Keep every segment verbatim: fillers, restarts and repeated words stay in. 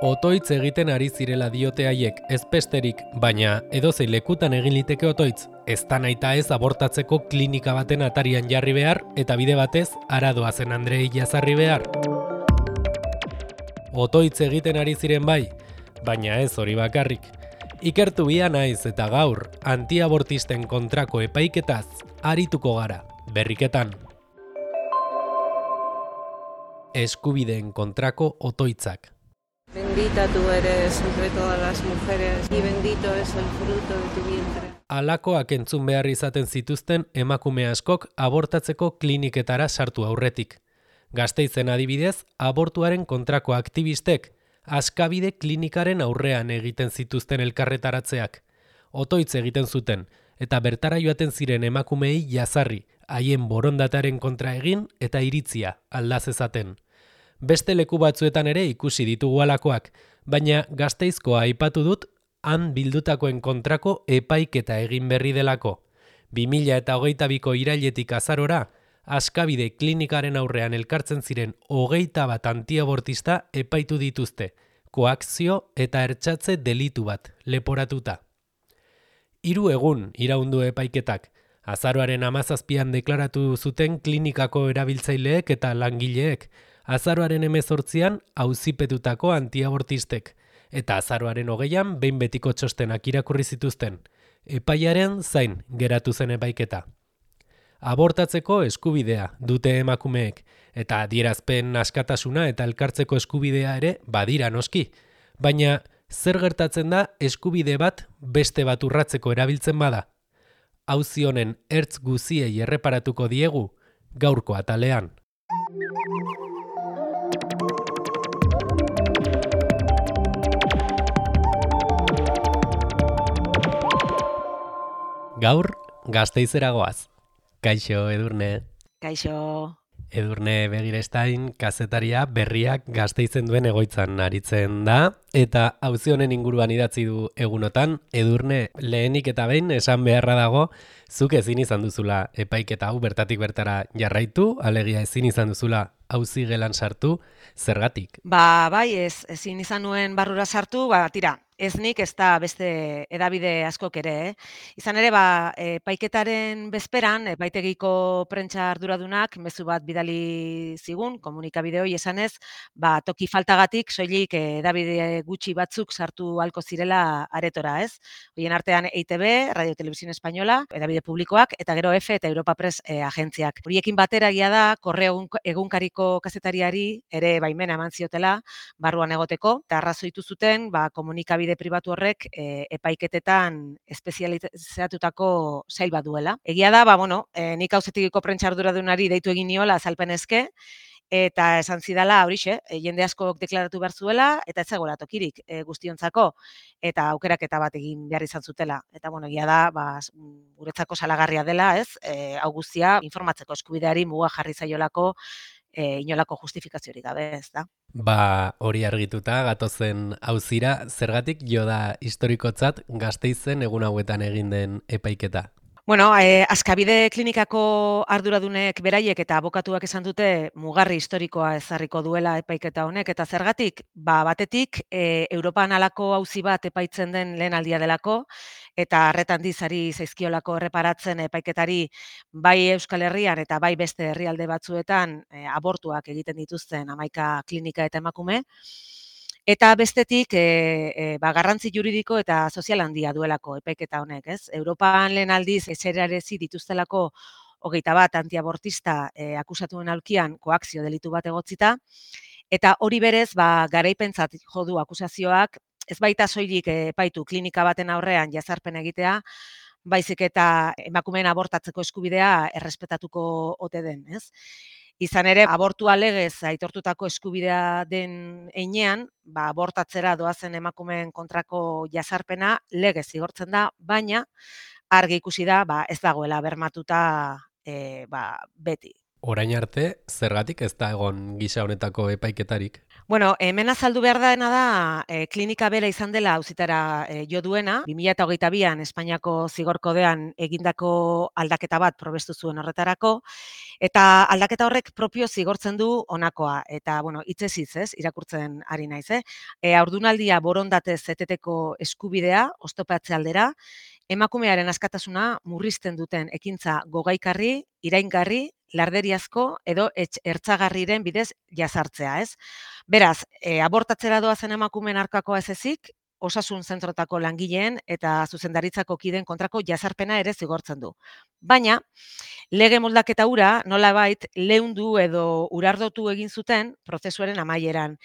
Otoitz egiten ari zirela diote haiek, ez besterik, baina edozein lekutan egin liteke otoitz, ez da nahita ez abortatzeko klinika baten atarian jarri behar eta bide batez aradoa zen Andrei jazarri behar. Otoitz egiten ari ziren bai, baina ez hori bakarrik. Ikertu bia naiz eta gaur, antiabortisten kontrako epaiketaz arituko gara, berriketan. Eskubideen kontrako otoitzak. Bendita tú eres entre todas las mujeres y bendito es el fruto de tu vientre. Halakoak entzun behar izaten zituzten emakume askok abortatzeko kliniketara sartu aurretik. Gasteizen adibidez, abortuaren kontrako aktivistek Askabide klinikaren aurrean egiten zituzten elkarretaratzeak. Otoitz egiten zuten, eta bertara joaten ziren emakumeei jazarri, haien borondataren kontra egin eta iritzia aldaz ezaten. Beste leku batzuetan ere ikusi ditugu halakoak, baina Gasteizkoa aipatu dut han bildutakoen kontrako epaiketa egin berri delako. bi mila hogeita biko irailetik azarora, Askabide klinikaren aurrean elkartzen ziren hogeita bat antiabortista epaitu dituzte, koakzio eta ertzatze delitu bat leporatuta. Hiru egun iraundu epaiketak, azaroaren hamazazpian deklaratu zuten klinikako erabiltzaileek eta langileek, azaroaren hemezortzian auzipetutako antiabortistek, eta azaroaren hogeian behin betiko txostenak irakurri zituzten. Epaiaren zain geratu zen epaiketa. Abortatzeko eskubidea dute emakumeek, eta adierazpen askatasuna eta elkartzeko eskubidea ere badira noski. Baina zer gertatzen da eskubide bat beste bat urratzeko erabiltzen bada? Auzi honen ertz guziei erreparatuko diegu gaurko atalean. Gaur Gasteizera goaz. Kaixo, Edurne. Kaixo. Edurne Begirestain kazetaria berriak Gasteizen duen egoitzan aritzen da, eta auzi honen inguruan idatzi du egunotan, Edurne lehenik eta behin esan beharra dago, zuk ezin izan duzula epaiketa hau bertatik bertara jarraitu, alegia ezin izan duzula auzi gelan sartu, zergatik? Ba, bai, ez, ezin izan nuen barrura sartu, ba, tira, ez nik ez da beste edabide askok ere, eh? Izan ere, ba, epaiketaren bezperan, epaitegiko prentsa arduradunak mezu bat bidali zigun, komunikabide hori esanez, ba, toki faltagatik soilik edabide gutxi batzuk sartu halko zirela aretora, ez? Horien artean E I T B, Radio Televisión Española, edabide publikoak, eta gero F eta Europa Press eh, agentziak. Horiekin batera egia da, Korreo egunkariko kazetariari ere baimena eman ziotela barruan egoteko, eta arrazoitu zuten ba, komunikabide pribatu horrek e, epaiketetan espezializatutako sail bat duela. Egia da, ba, bueno, e, nik auzitegiko prentsa arduradunari deitu egin niola azalpenezke, eta esan zidala horixe, e, jende askok deklaratu behar zuela, eta ez zegoela tokirik e, guztiontzako, eta aukeraketa bat egin behar izan zutela. Eta bueno, egia da, ba, guretzako salagarria dela, ez? E, hau guztia informatzeko eskubideari muga jarri zaiolako E, inolako justifikaziorik gabe, ez da. Ba, hori argituta, gatozen auzira, zergatik jo da historikotzat Gasteizen egun hauetan egin den epaiketa? Bueno, eh, Askabide klinikako arduradunek beraiek eta abokatuak esan dute mugarri historikoa ezarriko duela epaiketa honek, eta zergatik, ba, batetik, e, Europan halako auzi bat epaitzen den lehen aldia delako, eta arretan dizari zaizkiolako erreparatzen epaiketari bai Euskal Herrian eta bai beste herrialde batzuetan e, abortuak egiten dituzten hamaika klinika eta emakume, eta bestetik e, e, ba, garrantzi juridiko eta sozial handia duelako epaiketa honek, ez? Europan lehen aldiz eserarezi dituztelako hogeita bat antiabortista e, akusatuen aulkian koakzio delitu bat egotzita, eta hori berez ba, garaipentzat jo du akusazioak, ez baita soilik epaitu klinika baten aurrean jazarpen egitea, baizik eta emakumeen abortatzeko eskubidea errespetatuko ote den, ez? Izan ere, abortua legez aitortutako eskubidea den heinean, ba, abortatzera doazen emakumeen kontrako jazarpena legez zigortzen da, baina argi ikusi da ba, ez dagoela bermatuta e, ba, beti. Orain arte, zergatik ez da egon gisa honetako epaiketarik? Bueno, hemen azaldu behar dena da, e, klinika bera izan dela auzitara e, jo duena, bi mila hogeita bian Espainiako zigor kodean egindako aldaketa bat probestu zuen horretarako, eta aldaketa horrek propio zigortzen du honakoa, eta, bueno, hitzez hitz, ez, irakurtzen ari naiz, eh? E, haurdunaldia borondatez eteteko eskubidea, oztopatze aldera, emakumearen askatasuna murrizten duten ekintza gogaikarri, iraingarri, larderiazko edo ertzagarriren bidez jazartzea, ez? Beraz, e, abortatzera doazen emakumeen aurkakoa ez ezik, osasun zentrotako langileen eta zuzendaritzako kideen kontrako jazarpena ere zigortzen du. Baina, lege moldaketa hura nolabait leundu edo urardotu egin zuten prozesuaren amaieran.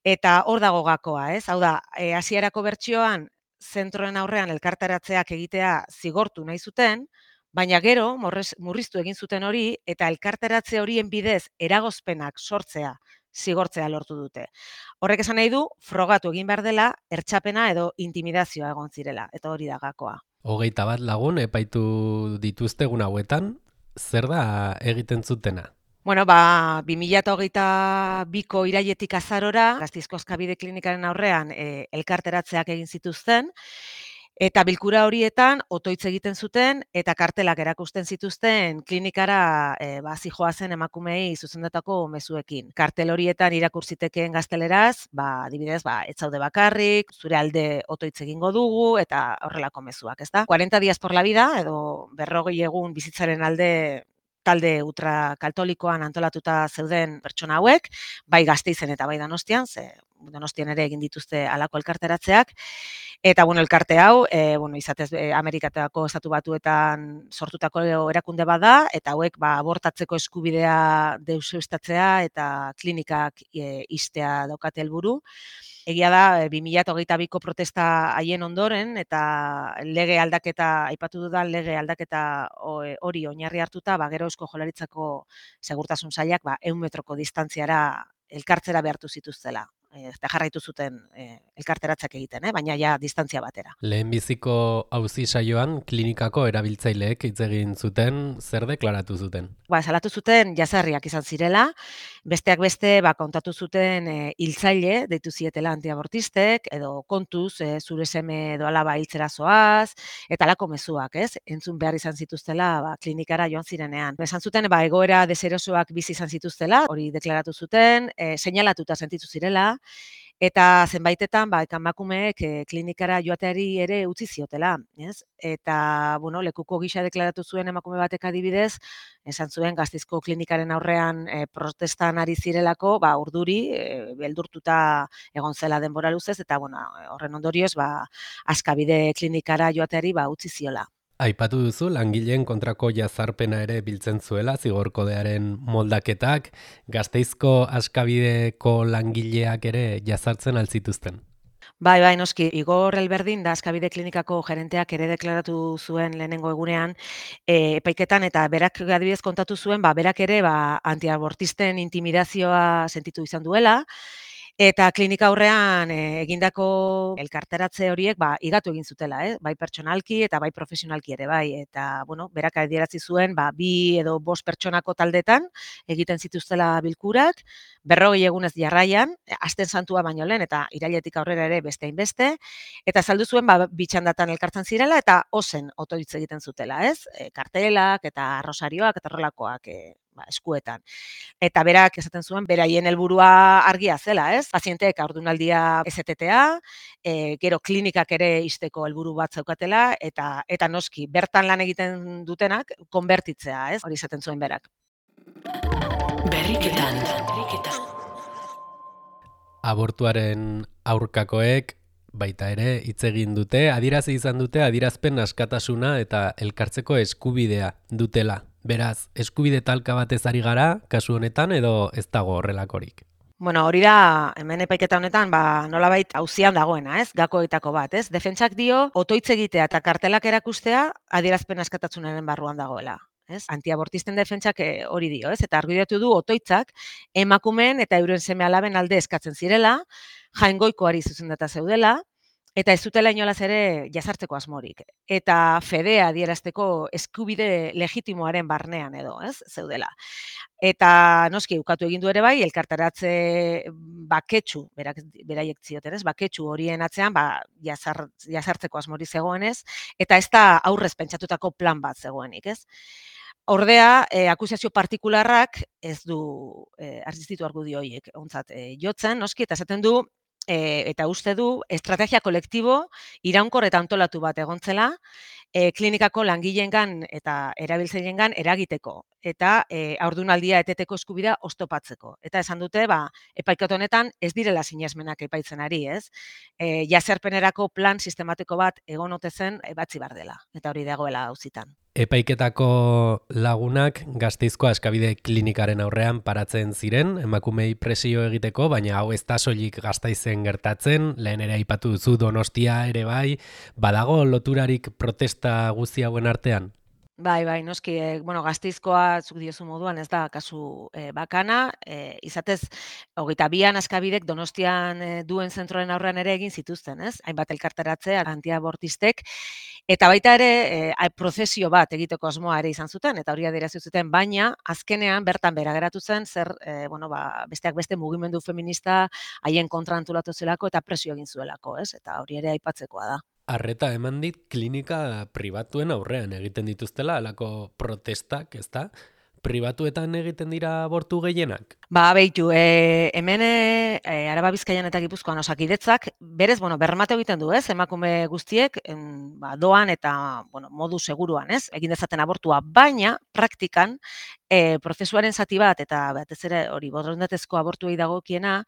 Eta hor dago gakoa, ez? Hau da, e, hasierako bertsioan zentroen aurrean elkartaratzeak egitea zigortu nahi zuten, baina gero morrez, murriztu egin zuten hori eta elkarteratze horien bidez eragozpenak sortzea zigortzea lortu dute. Horrek esan nahi du, frogatu egin behar dela, ertxapena edo intimidazioa egon zirela, eta hori da gakoa. Hogeita bat lagun epaitu dituzte egun hauetan, zer da egiten zutena? Bueno, ba, bi mila hogeita biko irailetik azarora, Gasteizko Askabide Klinikaren aurrean e, elkarteratzeak egin zituzten, eta bilkura horietan otoitz egiten zuten eta kartelak erakusten zituzten klinikara e, ba, zijoazen emakumei zuzendutako mezuekin. Kartel horietan irakur zitekeen gazteleraz, ba, adibidez, ba, ez zaude bakarrik, zure alde otoitz egingo dugu eta horrelako mezuak, ezta? cuarenta días por la vida edo berrogei egun bizitzaren alde talde ultrakatolikoan antolatuta zeuden pertsona hauek, bai Gasteizen eta bai Donostian, ze Donostian ere egin dituzte halako elkarteratzeak. Eta bueno, elkarte hau, e, bueno, izatez e, Amerikatako estatu batuetan sortutako erakunde bada, eta hauek ba, abortatzeko eskubidea deuseztatzea eta klinikak e, ixtea daukate helburu. Egia da, bi mila hogeita biko protesta haien ondoren, eta lege aldaketa, aipatu dudan lege aldaketa hori oinarri hartuta, ba, gero Eusko Jaurlaritzako segurtasun sailak ba, ehun metroko distantziara elkartzera behartu zituztela. Eta jarraitu zuten e, elkarteratzak egiten, eh? Baina ja distantzia batera. Lehenbiziko auzi saioan klinikako erabiltzaileek hitz egin zuten, zer deklaratu zuten? Ba, salatu zuten jazarriak izan zirela, besteak beste ba, kontatu zuten e, hiltzaile, deitu zietela antiabortistek, edo kontuz e, zure seme edo alaba hiltzera zoaz, eta alako mezuak, ez? Entzun behar izan zituztela ba, klinikara joan zirenean. Esan zuten ba, egoera deserosoak bizi izan zituztela, hori deklaratu zuten, e, seinalatuta sentitu zirela, eta zenbaitetan ba, emakumeek e, klinikara joateari ere utzi ziotela, ez? Eta, bueno, lekuko gisa deklaratu zuen emakume batek adibidez, esan zuen Gasteizko klinikaren aurrean e, protestan ari zirelako, ba, urduri, e, beldurtuta egon zela denbora luzez, eta, bueno, horren ondorioz, ba, Askabide klinikara joateari ba, utzi ziola. Aipatu duzu, langileen kontrako jazarpena ere biltzen zuela, zigorkodearen moldaketak, Gasteizko Askabideko langileak ere jazartzen altzituzten. Bai, bai, noski, Igor Elberdin da Askabide Klinikako gerenteak ere deklaratu zuen lehenengo egunean e, epaiketan, eta berak adibidez kontatu zuen, ba, berak ere ba, antiabortisten intimidazioa sentitu izan duela, eta klinika aurrean e, egindako elkarteratze horiek ba, igatu egin zutela, eh? Bai pertsonalki eta bai profesionalki ere, bai. Eta, bueno, berak adierazi zuen, ba, bi edo bost pertsonako taldetan egiten zituztela bilkurak, berrogei egunez jarraian, asten santua baino lehen, eta irailetik aurrera ere beste hainbeste, eta saldu zuen, ba, bitxandatan elkartzen zirela, eta ozen otoitz egiten zutela, ez? E, kartelak eta rosarioak eta horrelakoak e, ba, eskuetan. Eta berak esaten zuen, beraien helburua argia zela, ez? Pazienteek haurdunaldia ez etetea, e, gero klinikak ere ixteko helburu bat zeukatela, eta eta noski, bertan lan egiten dutenak, konbertitzea, ez? Hori esaten zuen berak. Berriketan. Abortuaren aurkakoek baita ere hitz egin dute, adierazi izan dute adierazpen askatasuna eta elkartzeko eskubidea dutela. Beraz, eskubide talka batez ari gara, kasu honetan, edo ez dago horrelakorik? Bueno, hori da, hemen epaiketa honetan, ba, nolabait auzian dagoena, ez? Gakoetako bat, ez? Defentsak dio, otoitz egitea eta kartelak erakustea adierazpen askatasunaren barruan dagoela. Ez? Antiabortisten defentsak hori dio, ez? Eta argudiatu du otoitzak emakumeen eta euren seme alaben alde eskatzen zirela, jaingoikoari zuzendata zeudela, eta ez zutela inolaz ere jazartzeko asmorik. Eta fedea adierazteko eskubide legitimoaren barnean edo, ez, zeudela. Eta noski ukatu egin du ere bai, elkartaratze baketsu, berak, beraiek zioten, ez, baketsu horien atzean, ba, jazar, jazartzeko asmori zegoenez, eta ez da aurrez pentsatutako plan bat zegoenik, ez. Ordea, eh, akusazio partikularrak ez du eh, argizitu argudio horiek ontzat eh, jotzen, noski, eta esaten du, E, eta uste du, estrategia kolektibo iraunkor eta antolatu bat egontzela, e, klinikako langileengan eta erabiltzaileengan eragiteko, eta e, haurdunaldia eteteko eskubidea oztopatzeko. Eta esan dute, ba, epaiketa honetan ez direla sinesmenak epaitzen ari, ez? E, jazerpenerako plan sistematiko bat egon ote zen ebatzi bar dela, eta hori dagoela auzitan. Epaiketako lagunak Gasteizko Askabide klinikaren aurrean paratzen ziren, emakumei presio egiteko, baina hau ez da soilik Gasteizen gertatzen, lehen ere aipatu duzu Donostia ere bai, badago loturarik protesta guzti hauen artean? Bai, bai, noski, e, bueno, Gasteizkoa zuk diozu moduan ez da kasu e, bakana, e, izatez, hogeita bian Askabidek Donostian e, duen zentroren aurrean ere egin zituzten, ez? Hainbat elkarteratze antiabortistek, eta baita ere e, prozesio bat egiteko asmoa ere izan zuten, eta hori adierazi zuten, baina azkenean bertan bera geratu zen, zer, e, bueno, ba, besteak beste mugimendu feminista haien kontra antolatu zelako eta presio egin zuelako, ez? Eta hori ere aipatzekoa da. Arreta eman dit klinika pribatuen aurrean egiten dituztela, alako protestak, ez da? Pribatuetan egiten dira abortu gehienak? Ba, behitu, e, hemen e, Araba Bizkaian eta Gipuzkoan Osakidetzak, berez, bueno, bermate egiten du, ez? Emakume guztiek en, ba, doan eta bueno, modu seguruan, ez? Egin dezaten abortua, baina praktikan e, prozesuaren zati bat, eta batez ere hori borondatezko abortuei dagokiena,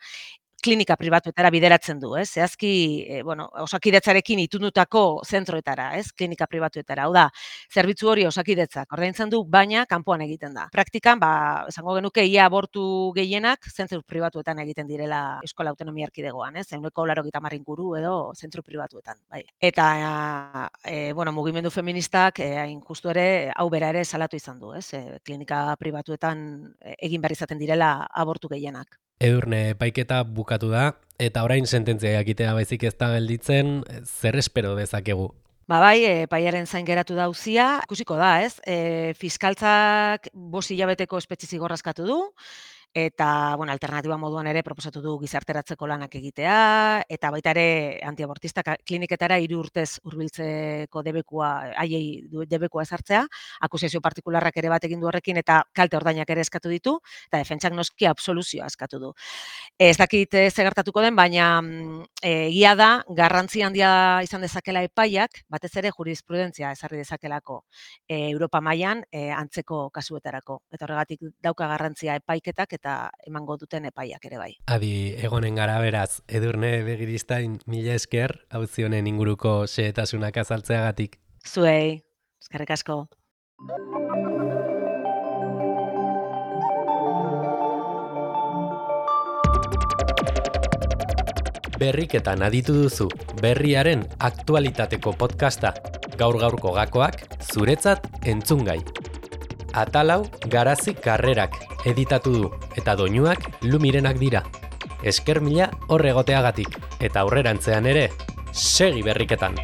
klinika pribatuetara bideratzen du, ez? Zehazki, e, bueno, Osakidetzarekin itundutako zentroetara, ez? Klinika pribatuetara. Hau da, zerbitzu hori Osakidetzak ordaintzen du, baina kanpoan egiten da. Praktikan, ba, esango genuke ia abortu gehienak zentru pribatuetan egiten direla Eskola Autonomia Erkidegoan, ez? Ehuneko laurogeita hamar inguru edo zentru pribatuetan, bai. Eta e, bueno, mugimendu feministak e, hain justu ere hau bera ere salatu izan du, ez? E, klinika pribatuetan egin behar izaten direla abortu gehienak. Edurne, epaiketa bukatu da, eta orain sententzia jakitea baizik ez da gelditzen, zer espero dezakegu? Ba bai, epaiaren zain geratu da auzia, ikusiko da, ez? E, fiskaltzak bost hilabeteko espetxe zigorra eskatu du, eta, bueno, alternatiba moduan ere proposatu du gizarteratzeko lanak egitea, eta baita ere antiabortistak kliniketara hiru urtez hurbiltzeko debekua, haiei debekua ezartzea, akusazio partikularrak ere bat egin du horrekin, eta kalte ordainak ere eskatu ditu, eta defentsak noski absoluzioa eskatu du. Ez dakit ze gertatuko den, baina egia da, garrantzi handia izan dezakela epaiak, batez ere jurisprudentzia ezarri dezakelako e, Europa mailan e, antzeko kasuetarako. Eta horregatik dauka garrantzia epaiketak eta emango duten epaiak ere bai. Adi, egonen gara beraz, Edurne Begiristain, mila esker, auzi honen inguruko xehetasunak azaltzeagatik. Zuei, eskerrik asko. Berriketan aditu duzu, berriaren aktualitateko podcasta, gaur-gaurko gakoak, zuretzat entzungai. Atalau Garazi Karrerak editatu du, eta doinuak Lumirenak dira. Esker mila horregoteagatik, eta aurrerantzean ere, segi berriketan!